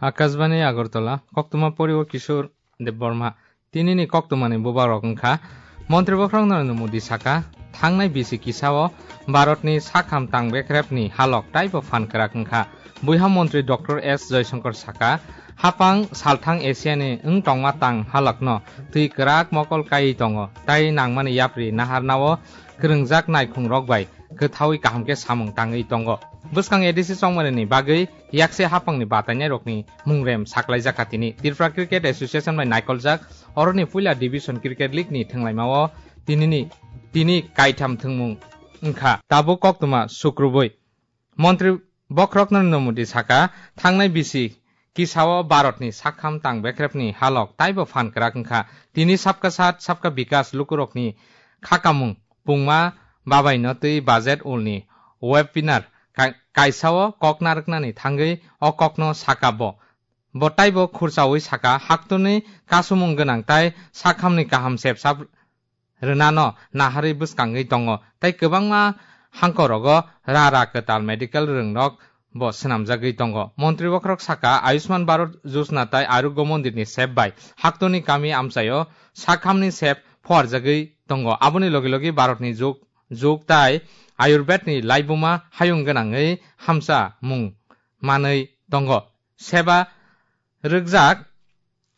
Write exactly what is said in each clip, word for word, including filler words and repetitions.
Akashbani Agartala, koktwma pori o Kishore Debbarma. Tinini koktwmani bubagrok wngkha, Montri Bokhorok Narendra Modi saka, thangnai bisi kisao Bharatni sakham tang bekrepni halok taibo phan kwrak wngkha. Buiha Montri Doctor S Jaishankar saka, hapang salthang Asiani wng tongma tang halokno twi kwrak mokol kaiwi tongo, tai nangmani yapri naharnao kwrwngjak naikhungrok bai kwthaui kaham khe samung tangwi tongo. Bwskang A D C chongmanini bagwi yakse hapangni batainairokni mungrem saklaijak kha tini. Tripura Cricket Association bai naikoljak oroni puila Division Cricket League ni thwnglaimao tinini, tini kaitham thwngmung wngkha. Tabuk koktwma sukrubui. Montri Bokhorok Narendra Modi saka, thangnai bisi kisao Bharatni sakham tang bekrepni halok taibo phan kwrak wngkha. Tini Sabka Saath Sabka Vikas lukurokni khakamung pungma babaino twi budget ulni webinar kai-, kaisao kok narwknani thangwi o kokno saka bo. Bo taibo khurchaui saka, haktorni kasumung gwnang tai sakhamni kaham sepsap rwnano naharwi bwskangwi tongo, tei kwbangma hangkorogo ra ra kwtal medical rwngrok bo swnamjagwi tongo. Montri bokhorok saka, Ayushman Bharat Yojana tai Arogya Mondirni sep bai haktorni kami amchaio sakhamni sep phuarjagwi tongo. Aboni logi logi Bharatni jug, jug tai Ayurvedni laibuma hayung gwnangwi hamcha mung manwi tongo. Seba rwkjak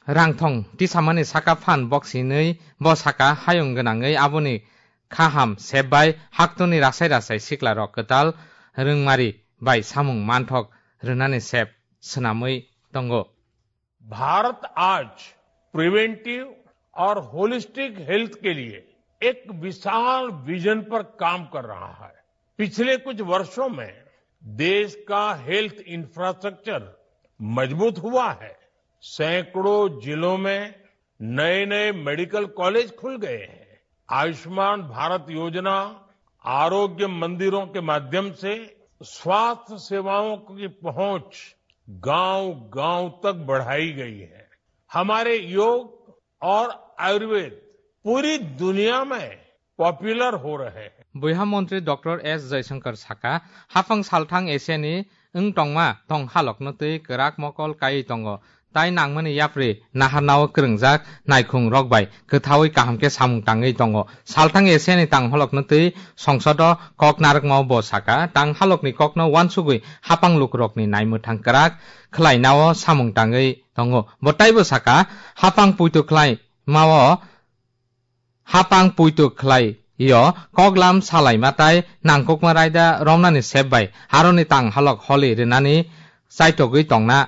rangthong tisamani saka phan boksinwi bo saka hayung gwnangwi aboni khaham sep bai haktorni rasai rasai siklarok kwtal rwngmari bai samung manthok rwnani sep swnamwi tongo. Bharat आज प्रिवेंटिव और holistic health के लिए एक विशाल विजन पर काम कर रहा है। पिछले कुछ वर्षों में देश का हेल्थ इंफ्रास्ट्रक्चर मजबूत हुआ है। सैकड़ों जिलों में नए नए मेडिकल कॉलेज खुल गए हैं। आयुष्मान भारत योजना, आरोग्य मंदिरों के माध्यम से स्वास्थ्य सेवाओं की पहुंच गांव गांव तक बढ़ाई गई है। हमारे योग और आयुर्वेद पूरी दुनिया में पॉपुलर हो रहे हैं। Buiha montri Doctor S Jaishankar saka, hapang salthang Asiani wng tongma tong halokno twi kwrak mokol kaiwi tongo, tai nangmani yapri naharnao kwrwngjak naikhung rok bai kwthaui kaham khe samung tangwi tongo. Salthang Asiani tang halokno twi songsodo kok narwkmao bo saka, tang halokni kokno uansugwi hapang lukurokni naimwthang kwrak khlainao samung tangwi tongo. Bo taibo saka, hapang puitu khlai mao hapang puitu khlai yo, koklam salaima tai nangkukma raida romnani sep bai aroni tang halok holi rwnani chaitogwi tongna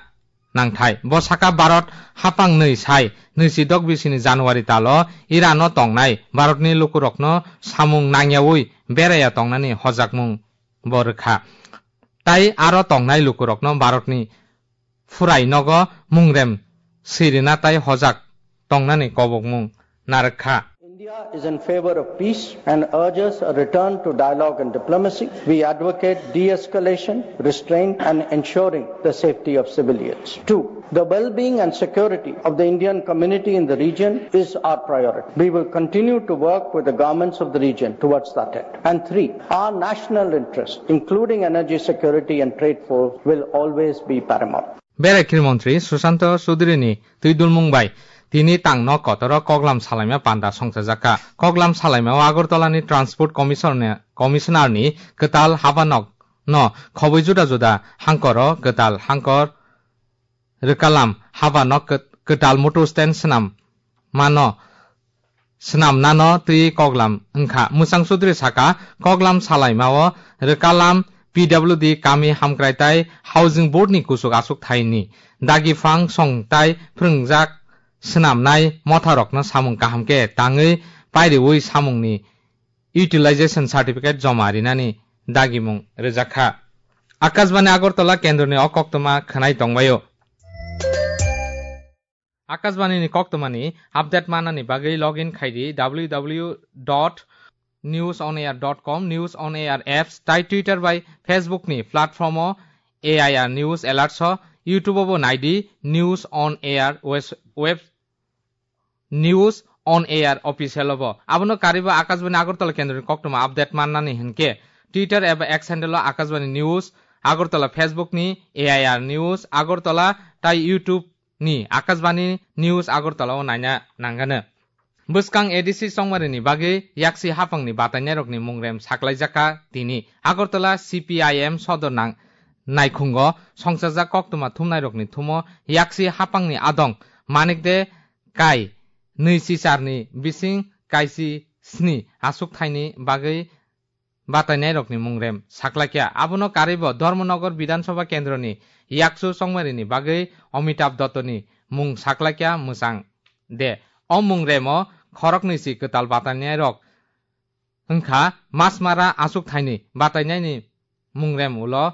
nangthai. Bo saka Bharat hapang nwi sai nwisidok bisini January talo Irano tongnai Bharatni lukurokno samung nangyaui beraiya tongnani hojakmung bo rwkha. Tai aro tongnai lukurokno Bharatni phurai nogo mungrem swirina tai hojak tongnani kobokmung narwkha. India is in favor of peace and urges a return to dialogue and diplomacy. We advocate de-escalation, restraint, and ensuring the safety of civilians. Two, the well-being and security of the Indian community in the region is our priority. We will continue to work with the governments of the region towards that end. And three, our national interests, including energy security and trade flows, will always be paramount. Berai khir montri Sushanta Chowdhury ni twi dulmung bai tini tangno kotoro koklam salaima panda songchajakha. Koklam salaimao Agartala ni Transport Commissioner ni, Commissioner ni kwtal habanok no khobwi juda juda hangkoro kwtal hangkor rwkalam habanok kwt-, kwtal motor stand swnam mano swnamnano twi koklam wngkha. Mwchang Chaudhary saka, koklam salaimao rwkalam P W D kami hamkrai tai Housing Board ni kuchuk achuk thaini dagi phang song tai phwrwngjak swnamnai motharokno samung kaham khe tangwi pairiwi samungni utilization certificate joma rinani dagimung rwjakha. Akashbani Agartala kendroni o koktwma khwnai tongbaio. Akashbani ni koktwmani update manani bagwi login khaidi W W W dot news on air dot com, News on Air apps, tai Twitter bai Facebook ni platform o A I R News Alerts o, YouTube o bo naidi News on Air wes-, web, News on Air official o bo. Abono karwi bo Akashbani Agartala kendroni koktwma update mannani hinkhe Twitter eba X handle o Akashbani News Agartala, Facebook ni A I R News Agartala, tai YouTube ni Akashbani News Agartala o naina nangano. Bwskang A D C chongmarini bagwi yaksi haphangni batainairokni mungrem saklaijakha tini. Agartala C P I M sodor nang naikhungo songchajak koktwma thumnairokni thumo yaksi haphangni adong Manik de Kai nwi chicharni bising kaisi sni aswk thaini bagwi batainairokni mungrem saklaikha. Abono karwibo Dharmanagar Bidhan Sabha kendroni yaksu chongmarini bagwi Amitabh Dottoni mung saklaikha mwchang de. O mungremo khoroknwi si kwtal batainairok wngkha Masmara aswk thaini batainaini mungrem ulo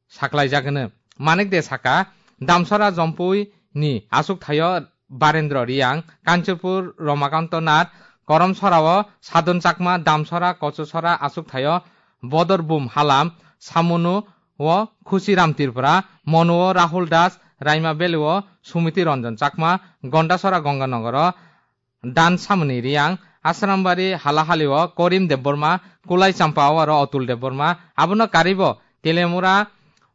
saklaijak hwno. Manik de saka, Damsara Jompui ni aswk thaio Barendra Riang, Kanchanpur Ramakanto Nath, Koromsora o Sadon Chakma, Damsara Kochusora aswk thaio Bodor Bum Halam, Samunu o Khusiram Tripura, Monu o Rahul Das, Raima Valley o Sumiti Ranjan Chakma, Gondasora Ganganagar o Dan Samani Riang, Asrambari Halahali o Korim Debbarma, Kulai Champa o aro Atul Debbarma, abono karibo Telemura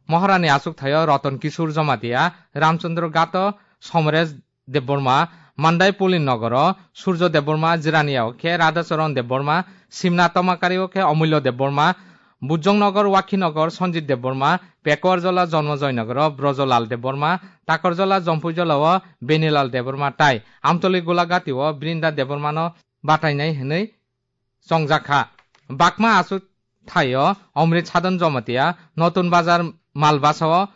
Moharani aswk thaio Ratan Kishore Jamatia, Ramchandra Gato Somresh Debbarma, Mandai Pulin Nogoro Surjo Debbarma, Jirania o khe Radhacharan Debbarma, Simna Tomakari o khe Amulya Debbarma, Bujongnagar, Wakhinagar, Sanjit Debbarma, Pekuarjala, Janmajoy Nagar o Brajolal Debbarma, Takarjala, Jampuijala o Benilal Debbarma tai Amtoli Golagati o Brinda Debbarma no batainai hwnwi chongjakha. Bakma aswk thaio Omrit Sadon Jamatia, Notun Bazar Malbasa o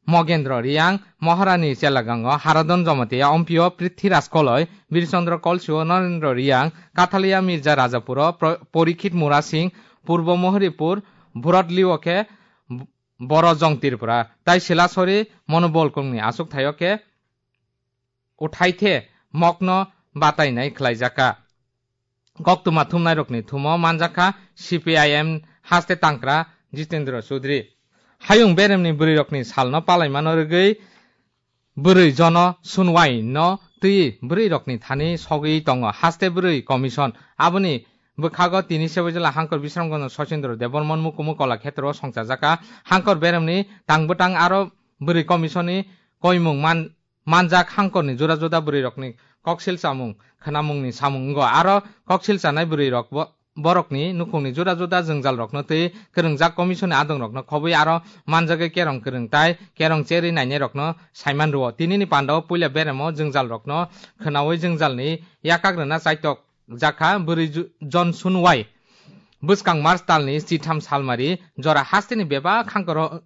Mogendra Riang, Moharani Chelagang o Haradon Jamatia, Ompio Prithviraj Koloi, Birchandra Kolsi o Narendra Riang, Kathalia Mirza Rajapur o Pro-, Porikhit Mura Singh, Purbo Mohoripur, Bhurat Liu o khe Borojong Tripura, tai Silasori Monobol Kongni aswk thaio khe Uthaithe mokno batainai khlaijakha. Koktwma thumnairokni thumo manjakha C P I M haste tangkra Jitendra Chaudhary. Hayung beremni bwrwirokni salno palaimano rwgwi bwrwi jono sunwai no twi bwrwirokni thani sogwi tongo haste bwrwi commission. Aboni bwkhago tini Seboijala Hangkor Bisramganj Sachindra Debbarman Mukumu Kala Khetra o songchajakha. Hangkor beremni tang bwtang aro bwrwi commission ni koimung man manjak hangkorni juda juda bwrwirokni koksil chamung khwnamungni samung wngo. Aro koksil chanai bwrwirok bo-, borokni nukhungni juda juda jwngjalrokno twi kwrwngjak commission-ni adongrokno khobwi aro manjagwi kerong kwrwng tai kerong cherwi nainairokno saiman rwo. Tinini pandao puila beremo jwngjalrokno khwnaui jwngjalni yakak rwna chaitok jakha bwrwi ju-, John Sunwai. Bwskang March talni chitham salmari jora hasteni bebak hangkoro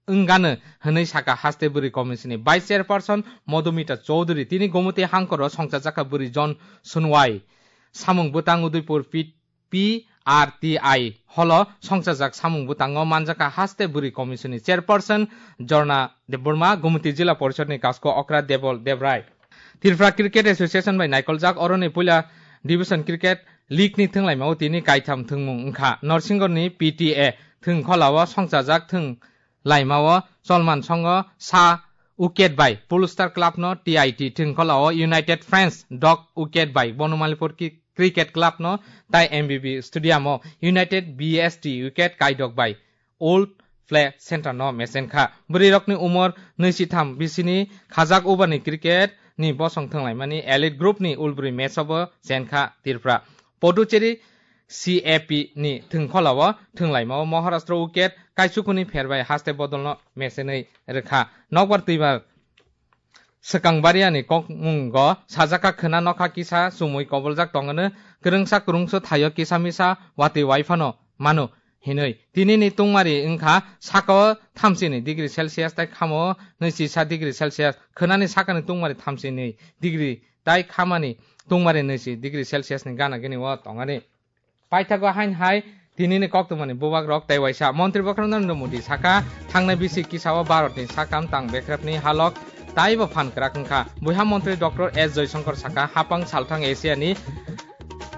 wngano hwnwi saka haste bwrwi commission-ni vice chairperson Madhumita Chowdhury. Tini Gomoti hangkoro songchajakha bwrwi John Sunwai. Samung bwtang Udaipur P-, P R T I holo songchajak samung bwtango manjakha haste bwrwi commission-ni chairperson Jorna Debbarma, Gomoti Jila Porishadni kasko okra Debol Debrai. Tripura Cricket Association bai naikoljak oroni puila division cricket league-ni thwnglaimao tini kaitham thwngmung wngkha. Norsingorni P T A thwngkholao songchajak thwng laimao cholman songo sa wicket bai Polestar Club no T I T thwngkholao United Friends dog wicket bai Bonomalipur Ki-, Cricket Club no tai M B B Stadium o United B S T wicket kaidok bai Old Play Center no mechenkha. Bwrwirokni umor nwi si tham bisini khajak ubani cricket ni bosong thwnglaimani elite group ni ulbrwi match o bo chenkha Tripura. Puducherry C A P ni thwngkholao thwnglaimao Maharashtra wicket kaisukuni pherbai haste bodolno mechenwi rwkha. Nokbar twibar swkang bariani kokmungo sajak kha khwna nokha kisa chumui koboljak tongwno kwrwngsa kwrwngsa thaio kisa misa watwi waiphano mano hinwi. Tinini tungmari wngkha sakao thamsini degree Celsius tai khamo nwi chisa degree Celsius, khwnani sakani tungmari thamsini degree tai khamani tungmari nwi si degree Celsius ni gana gini o tongani. Paithago hain hai tinini koktwmani bubagrok tei waisa Montri Bokhorok Narendra Modi saka, thangnai bisi kisao Bharatni sakam tang bekrepni halok taibo phan kwrak wngkha. Buiha Montri Doctor S Jaishankar saka, hapang salthang Asiani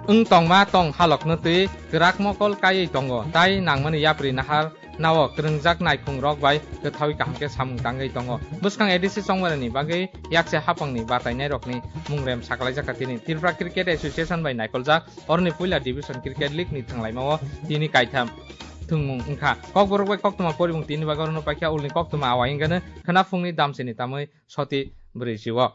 wng tongma tong halokno twi kwrak mokol kaiwi tongo, tai nangmani yapri nahar nao kwrwngjak naikhung rok bai kwthaui kaham khe samung tangwi tongo. Bwskang A D C chongmarani bagwi yakse hapangni batainairokni mungrem sakalaijak kha tini. Tripura Cricket Association bai naikoljak oroni puila division cricket league ni thwnglaimao tini kaitham. thwngmung wngkha. Kokborok bai koktwma poribung tini bagwi orono paikha ulni koktwma awai wngkha khwnaphungni damsini tamwi soti bwrwi jiwo.